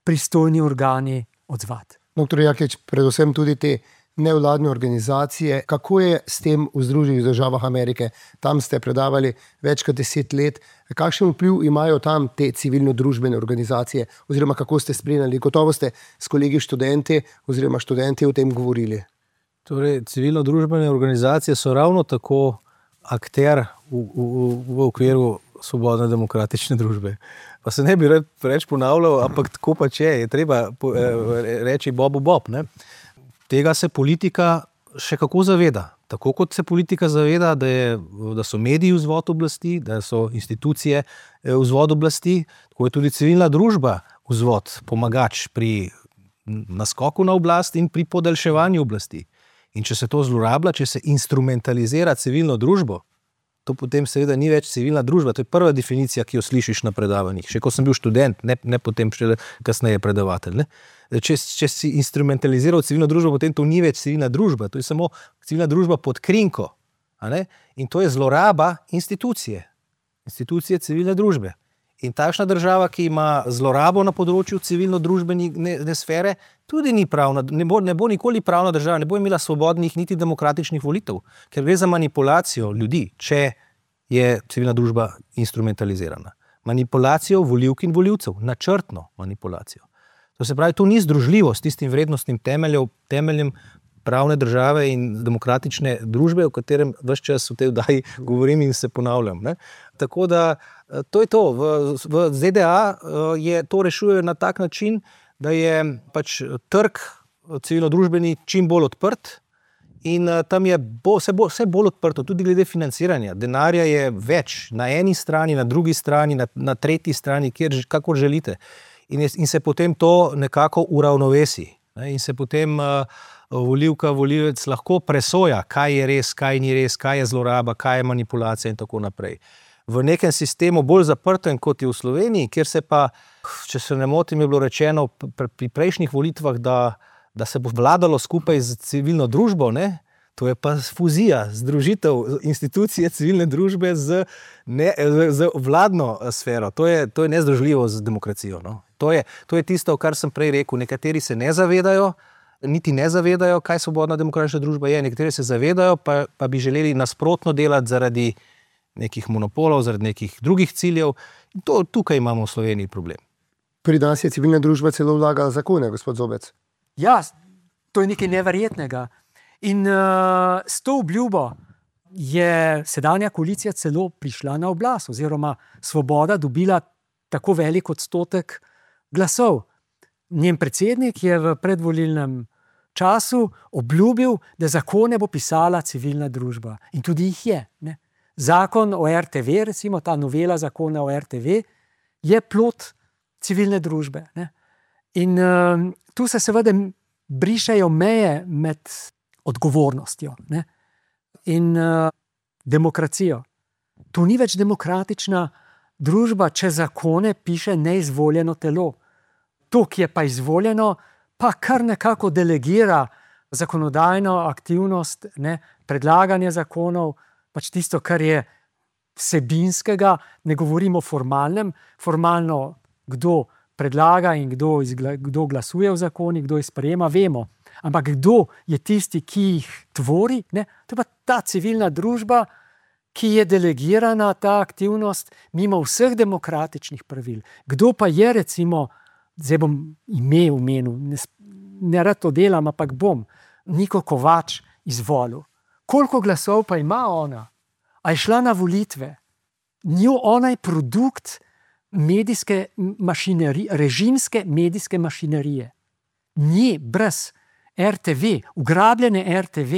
pristojni organi odzvati. Doktor Jaklič, predvsem tudi te nevladne organizacije, kako je s tem v Združenih državah Amerike? Tam ste predavali več kot 10 let. Kakšen vpliv imajo tam te civilno-družbene organizacije oziroma kako ste spremljali? Gotovo ste s kolegi študenti o tem govorili. Torej, civilno-družbene organizacije so ravno tako akter v okviru svobodne demokratične družbe. Pa se ne bi preveč ponavljal, ampak tako pač je treba reči bob, ne. Tega se politika še kako zaveda. Tako kot se politika zaveda, da so mediji vzvod oblasti, da so institucije vzvod oblasti, tako je tudi civilna družba vzvod, pomagač pri naskoku na oblast in pri podaljševanju oblasti. In če se to zlorablja, če se instrumentalizira civilno družbo, to potem seveda ni več civilna družba. To je prva definicija, ki jo slišiš na predavanjih. Še ko sem bil študent, ne potem še kasneje predavatelj, ne. Če si instrumentaliziral civilno družbo, potem to ni več civilna družba. To je samo civilna družba pod krinko. A ne? In to je zloraba institucije civilne družbe. In takšna država, ki ima zlorabo na področju civilno-družbene sfere, tudi ni pravna, ne bo nikoli pravna država, ne bo imela svobodnih niti demokratičnih volitev, ker gre za manipulacijo ljudi, če je civilna družba instrumentalizirana. Manipulacijo volivk in volivcev, načrtno manipulacijo. To se pravi, to ni združljivo s tistim vrednostnim temeljem pravne države in demokratične družbe, o katerem ves čas v tej oddaji govorim in se ponavljam, ne. Tako da to je to. V ZDA to rešujejo na tak način, da je pač trg civilno-družbeni čim bolj odprt in tam je vse bolj odprto, tudi glede financiranja. Denarja je več na eni strani, na drugi strani, na tretji strani, kakor želite. In se potem to nekako uravnovesi. In se potem volivec lahko presoja, kaj je res, kaj ni res, kaj je zloraba, kaj je manipulacija in tako naprej. V nekem sistemu bolj zaprtem, kot je v Sloveniji, kjer se pa, če se ne motim, je bilo rečeno pri prejšnjih volitvah, da se bo vladalo skupaj z civilno družbo, ne? To je pa fuzija, združitev institucije civilne družbe z vladno sfero. To je nezdružljivo z demokracijo. No? To je tisto, kar sem prej rekel. Nekateri se ne zavedajo, kaj svobodna demokratična družba je. Nekateri se zavedajo, pa bi želeli nasprotno delati zaradi nekih monopolov, zaradi nekih drugih ciljev. Tukaj imamo v Sloveniji problem. Pri nas je civilna družba celo vlagala zakone, gospod Zobec. Ja, to je nekaj neverjetnega. In s to obljubo je sedanja koalicija celo prišla na oblast, oziroma Svoboda dobila tako velik odstotek glasov. Njen predsednik je v predvolilnem času obljubil, da zakone bo pisala civilna družba. In tudi jih je. Ne? Zakon o RTV, recimo ta novela zakona o RTV, je plod civilne družbe. Ne? In tu se seveda brišejo meje med odgovornostjo, ne? In demokracijo. To ni več demokratična družba, če zakone piše neizvoljeno telo. To, ki je pa izvoljeno, pa kar nekako delegira zakonodajno aktivnost, ne? Predlaganje zakonov, pač tisto, kar je vsebinskega, ne govorimo o formalnem, formalno kdo predlaga in kdo glasuje v zakonih, kdo jih sprejema, vemo. Ampak kdo je tisti, ki jih tvori? Ne? To je pa ta civilna družba, ki je delegirana, ta aktivnost, mimo vseh demokratičnih pravil. Kdo pa je, recimo, zdaj bom ime omenil, ne rad to delam, ampak bom, Niko Kovač izvolil. Koliko glasov pa ima ona? A je šla na volitve? Ona je produkt medijske mašinerije, režimske medijske mašinerije. Nje brez RTV, ugrabljene RTV,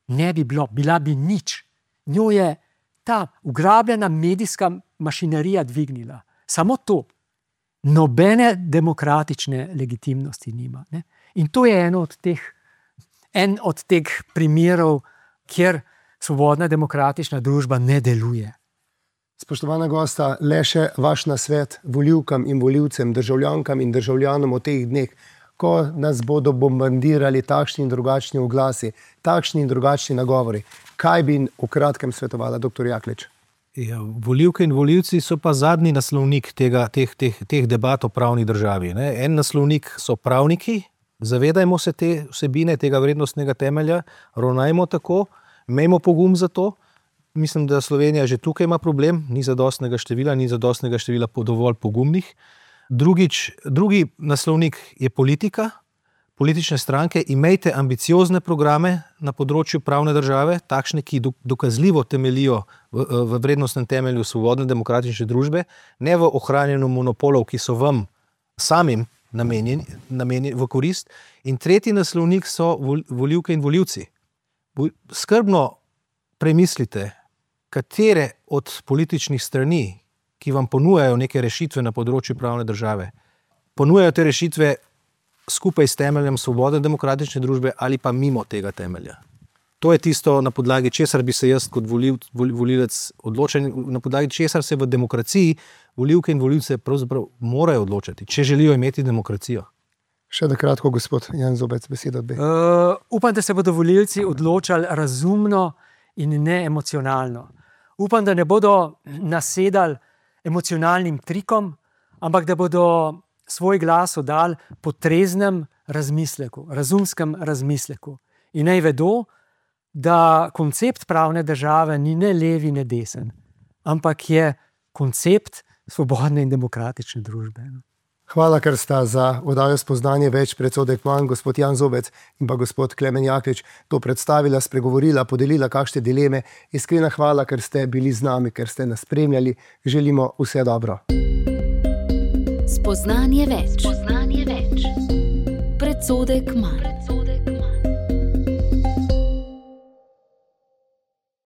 ne bi bilo, bila bi nič. Njo je ta ugrabljena medijska mašinerija dvignila. Samo to. Nobene demokratične legitimnosti nima. Ne? In to je en od teh primerov, kjer svobodna demokratična družba ne deluje. Spoštovana gosta, le še vaš nasvet volivkam in volivcem, državljankam in državljanom v teh dneh, ko nas bodo bombardirali takšni in drugačni oglasi, takšni in drugačni nagovori. Kaj bi v kratkem svetovala, dr. Jaklič? Ja, volivke in volivci so pa zadnji naslovnik teh debat o pravni državi. Ne? En naslovnik so pravniki, zavedajmo se te vsebine, tega vrednostnega temelja, ravnajmo tako, imejmo pogum za to. Mislim, da Slovenija že tukaj ima problem, ni zadostnega števila dovolj pogumnih. Drugi naslovnik je politika, politične stranke. Imejte ambiciozne programe na področju pravne države, takšne, ki dokazljivo temelijo v vrednostnem temelju svobodne demokratične družbe, ne v ohranjanju monopolov, ki so vam samim namenjeni v korist. In tretji naslovnik so volivke in volivci. Skrbno premislite, katere od političnih strani, ki vam ponujajo neke rešitve na področju pravne države, ponujajo te rešitve skupaj s temeljem svobodne demokratične družbe ali pa mimo tega temelja. To je tisto, na podlagi česar bi se jaz kot volivec odločil, na podlagi česar se v demokraciji volivke in volivce pravzaprav morajo odločati, če želijo imeti demokracijo. Še na kratko, gospod Jan Zobec, beseda dve. Upam, da se bodo volivci odločali razumno in ne emocionalno. Upam, da ne bodo nasedali emocionalnim trikom, ampak da bodo svoj glas oddali po treznem razmisleku, razumskem razmisleku. In naj vedo, da koncept pravne države ni ne levi, ne desen, ampak je koncept svobodne in demokratične družbe. Hvala, ker sta za oddajo Spoznanje več predsodek manj, gospod Jan Zobec in pa gospod Klemen Jaklič, to predstavila, spregovorila, podelila kakšne dileme. Iskrena hvala, ker ste bili z nami, ker ste nas spremljali. Želimo vse dobro. Spoznanje več. Predsodek manj.